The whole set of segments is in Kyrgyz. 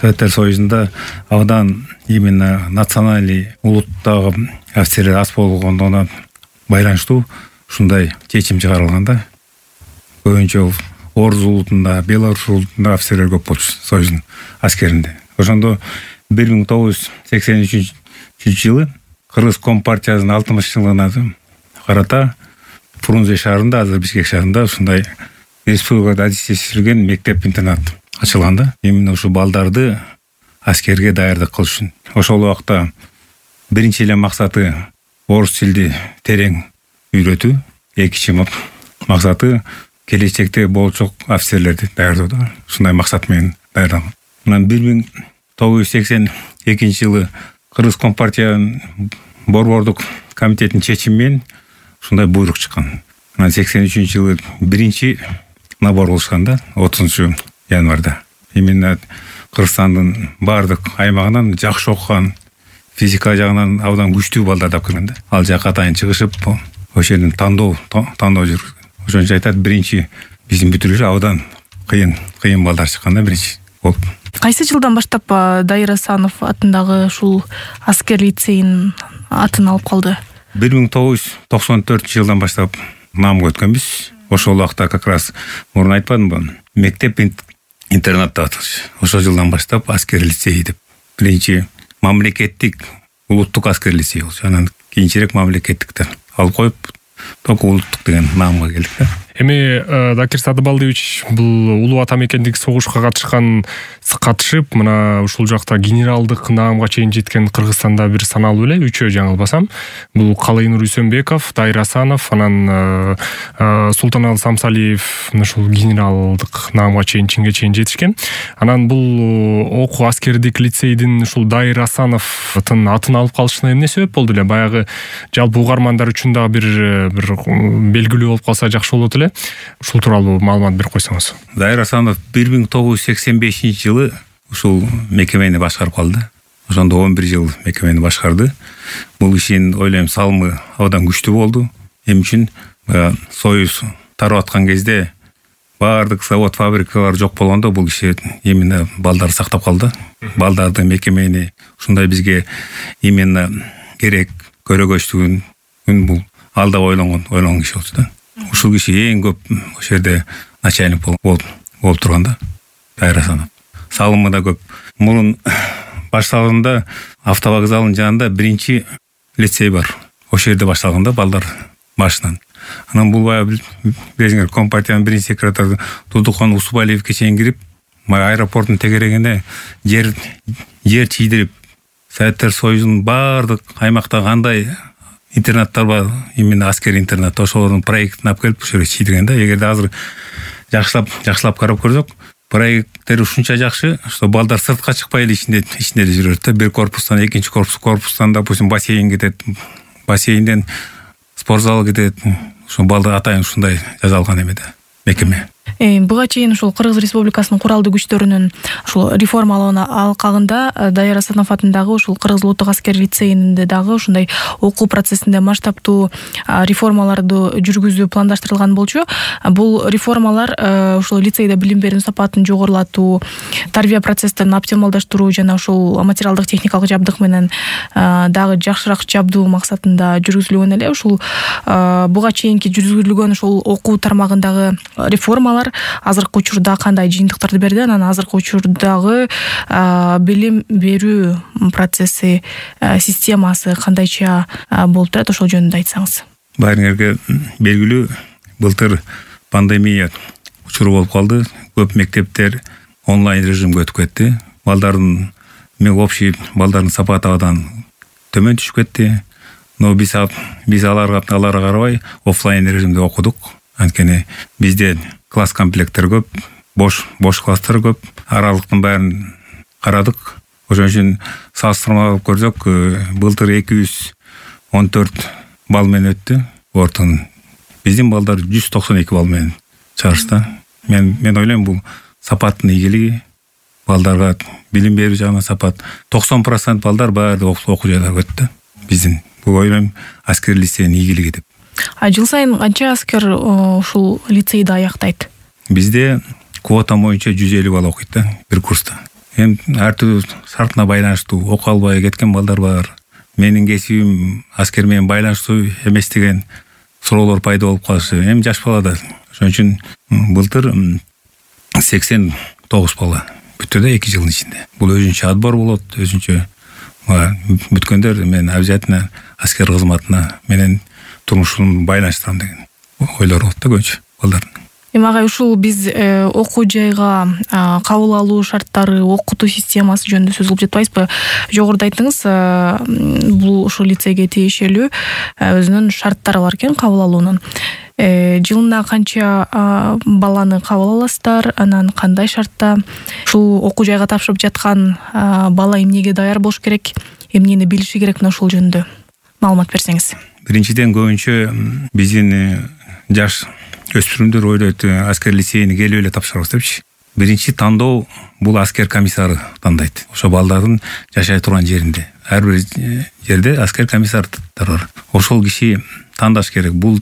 Советтер Союзунда абдан именно национальный улуттагы офицерлер аз болгондугуна байланыштуу ушундай чечим чыгарылган да. Көбүнчө Орус улутунда, Беларусь улутунда офицерлер көп болчу Союздун аскеринде. Ошондо 1983-жылы Кыргыз Компартиясынын 60-жылыгына карата Фрунзе шаарында, азыр Бишкек шаарында ушундай республикада адистештирилген мектеп-интернат ачылган да. Именно ушу балдарды аскерге даярдык кылыш үчүн. Ошол убакта биринчи эле максаты орус тилди терең үйрөтүү, экинчи максаты келечекте болчок офицерлерди даярдоо да. Ушундай максат менен даярдалган. Анан 1982-жылы Кыргыз Компартиянын борбордук комитетинин чечими менен ушундай буйрук чыккан. Анан 83-жылы биринчи набор кылышкан да, 30-январда. Именно Кыргызстандын баардык аймагынан жакшы окуган, физика жагынан абдан күчтүү балдар да кирген да. Ал жака атайын чыгышып, ошол жерден тандоо жүргүзгөн. Ошончо айтат, биринчи биздин бүтүрүшү абдан кыйын балдар чыккан да биринчи болуп. Кайсы жылдан баштап Дайыр Асанов атындагы ушул аскер лицейинин атын алып калды? 1994-жылдан баштап намга өткөнбүз. Ошол убакта как раз мурун айтпадымбы, мектеп интернатта аталыш. Ошол жылдан баштап аскер лицей деп. Биринчи мамлекеттик улуттук аскер лицей болчу. Анан кийинчерээк мамлекеттиктен алып коюп, только улуттук деген наамга келдик да. Эми Дакир Садыбалдиевич бул улуу ата мекендик согушка катышып, мына ушул жакта генералдык наамга чейин жеткен Кыргызстанда бир саналуу эле, 3 жаңылбасам. Бул Калыйнур Үсөнбеков, Дайыр Асанов, анан Султаналы Самсалиев ушул генералдык наамга чейин жетишкен. Анан бул окуу аскердик лицейдин ушул Дайыр Асановдун атын алып калышына эмне себеп болду эле? Баягы жалпы угармандар үчүн дагы бир белгилүү болуп калса жакшы болот эле. Ушул тууралуу маалымат берип койсоңуз. Дайыр Асанов 1985-жылы ушул мекемени башкарып калды. Ошондо 11 жыл мекемени башкарды. Бул ишин ойлойм салымы абдан күчтүү болду. Эми үчүн Союз тарап аткан кезде баардык завод, фабрикалар жок болгондо бул киши именно балдарды сактап калды. Балдарды, мекемени ушундай бизге именно керек көрөгөчтүгүн бул алда ойлонгон киши болчу да. Ушул киши эң көп ошол жерде начальник болуп турган да, Дайыр Асанов. Салымы да көп. Мурун башталганда автовокзалдын жанында биринчи лицей бар. Ошол жерде башталган да балдар башынан. Анан бул баягы билесиңер, Компартиянын биринчи секретары Тудукхан Усубалиевке чейин кирип, аэропорттун тегерегине жер чийдирип, Советтер Союзунун баардык аймакта кандай интернаттар бар, именно аскер интернат, ошолордун проектин алып келип ушул жерге чийдирген да. Эгерде азыр жакшылап карап көрсөк, проекттер ушунча жакшы, что балдар сыртка чыкпай эле ичинде жүрөт да. Бир корпустан экинчи корпустан, допустим, бассейн кетет, бассейнден спортзал кетет. Ошо балдар атайын ушундай жазалган эме да, мекеме. Буга чейин ушул Кыргыз Республикасынын куралдуу күчтөрүнүн ушул реформалоону алкагында Дайыр Асанов атындагы ушул Кыргыз улуттук аскер лицейинде дагы ушундай окуу процессинде масштабтуу реформаларды жүргүзүү пландаштырылган болчу. Бул реформалар ушул лицейде билим берүү сапатын жогорулатуу, тарбия процессин оптималдаштыруу жана ушул материалдык техникалык жабдык менен дагы жакшыраак жабдуу максатында жүргүзүлгөн эле. Ушул буга чейинки жүргүзүлгөн ушул окуу тармагындагы реформалар азыркы учурда кандай жыйынтыктарды берди? Анан азыркы учурдагы билим берүү процесси, системасы кандайча болуп турат? Ошол жөнүндө айтсаңыз. Баарыңарга белгилүү, былтыр пандемия учуру болуп калды. Көп мектептер онлайн режимге өтүп кетти. Балдардын общий балдардын сапаты абдан төмөн түшүп кетти. Но биз аларга карабай офлайн режимде окудук. Анткени бизде класс комплекттер көп, бош класстар көп, аралыктын баарын карадык. Ошон үчүн салыштырмалап көрсөк, былтыр 214 балл менен өттү. Ортун биздин балдар 192 балл менен чыгышты. Мен ойлойм, бул сапаттын ийгилиги, балдарга билим берүү жагынан сапат. 90% балдар баары окуу жайларга өттү. Биздин бул ойлойм аскер лицейинин ийгилиги деп. Жыл сайын канча аскер ушул лицейди аяктайт? Бизде квота боюнча 150 бала окуйт да, бир курста. эми ар түрдүү шартына байланыштуу окуя албай кеткен балдар бар. Менин кесибим аскер менен байланыштуу эмес деген суроолор пайда болуп калышы эми жаш балада. Ошон үчүн былтыр 89 бала бүтү да 2 жылдын ичинде. Бул өзүнчө отбор болот, өзүнчө бүткөндөр мен обязательно аскер кызматына менен турмушумду байланыштырам деген ойлор болот да көбүнчө балдардын. Эми агай ушул биз окуу жайга кабыл алуу шарттары, окутуу системасы жөнүндө сөз кылып жатпайбызбы? Жогоруда айттыңыз, бул ушул лицейге тиешелүү өзүнүн шарттары бар экен кабыл алуунун. Жылына канча баланы кабыл аласыздар, анан кандай шартта? Ушул окуу жайга тапшырып жаткан бала эмнеге даяр болуш керек, эмнени билиши керек, мына ушул жөнүндө маалымат берсеңиз. Биринчиден көбүнчө биздин жаш өспүрүмдөр ойлойт аскер лицейине келип эле тапшырабыз депчи. Биринчи тандоо бул аскер комиссары тандайт. Ошо балдардын жашай турган жеринде. Ар бир жерде аскер комиссарлар бар. Ошол киши тандаш керек. Бул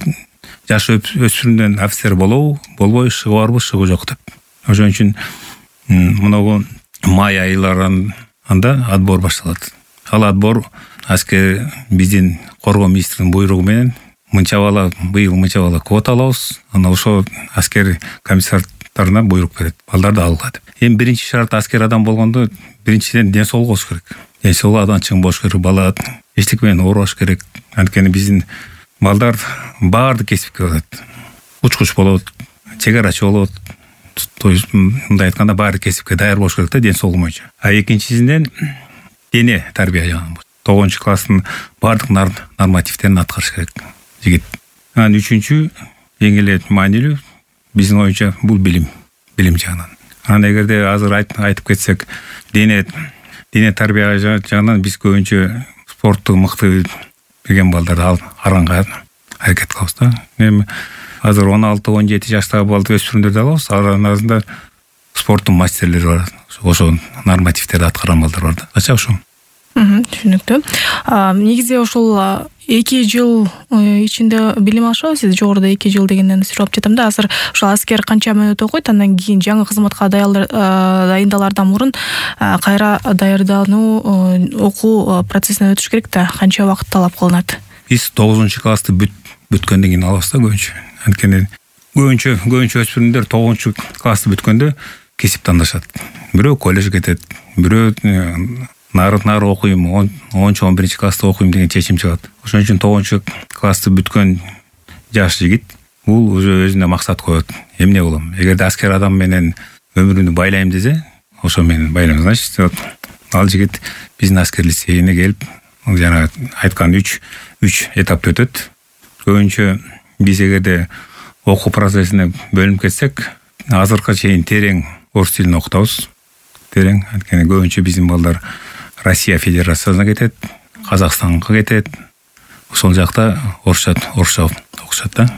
жаш өспүрүмдөн офицер болобу, болбой, шыгы барбы, шыгы жок деп. Ошон үчүн мынагу май айларында отбор башталат. Ал отбор аскер биздин коргоо министринин буйругу менен быйыл мынча бала квота алабыз, анан ошо аскер комиссарларына буйрук берет, балдарды алга деп. Эми биринчи шарт аскер адам болгондо биринчиден ден соолук болуш керек. Ден соолугу абдан чың болуш керек, бала эчтеке менен оорубаш керек. Анткени биздин балдар баардык кесипке барат. Учкуч болот, чегарачы болот. То есть мындай айтканда баардык кесипке даяр болуш керек да ден соолугу боюнча. Экинчисинен дене тарбия жагынан 9-класстын баардык нормативдерин аткарыш керек жигит. Анан үчүнчү эң эле маанилүү биздин оюнча бул билим жагынан. Анан эгерде азыр айтып кетсек, дене тарбия жагынан биз көбүнчө спортту мыкты билген балдарды аранга аракет кылабыз да. Эми азыр 16-17 жаштагы балды өспүрүмдөрдү алабыз, арасында спорттун мастерлери бар. Ошо нормативдерди аткарган балдар бар да. Ача ошо. Түшүнүктүү. Негизи ошол 2 жыл ичинде билим алышабы, сиз жогоруда 2 жыл дегенден сурап жатам да. Азыр ошол аскер канча мүнөт окуйт, андан кийин жаңы кызматка дайындалаардан мурун кайра даярдануу окуу процессинен өтүш керек да. Канча убакыт талап кылынат? Биз 9-классты бүткөндөн кийин алабыз да көбүнчө. Анткени көбүнчө өспүрүмдөр 9-классты бүткөндө кесип тандашат. Бирөө коллеж кетет, бирөө нары окуйм, 10-11 класста окуйм деген чечим чыгат. Ошон үчүн 9-классты бүткөн жаш жигит бул уже өзүнө максат коет. Эмне болом? Эгерде аскер адам менен өмүрүмдү байлайм десе, ошо менен байлайм. Значит, ал жигит биздин аскер лицейине келип, жана айткан 3 этапты өтөт. Көбүнчө биз эгерде окуу процессине бөлүнүп кетсек, азыркыга чейин терең орус тилин окутабыз. Терең, анткени көбүнчө биздин балдар Россия Федерациясына кетет, Казакстанга кетет. Ошол жакта орусча окушат да.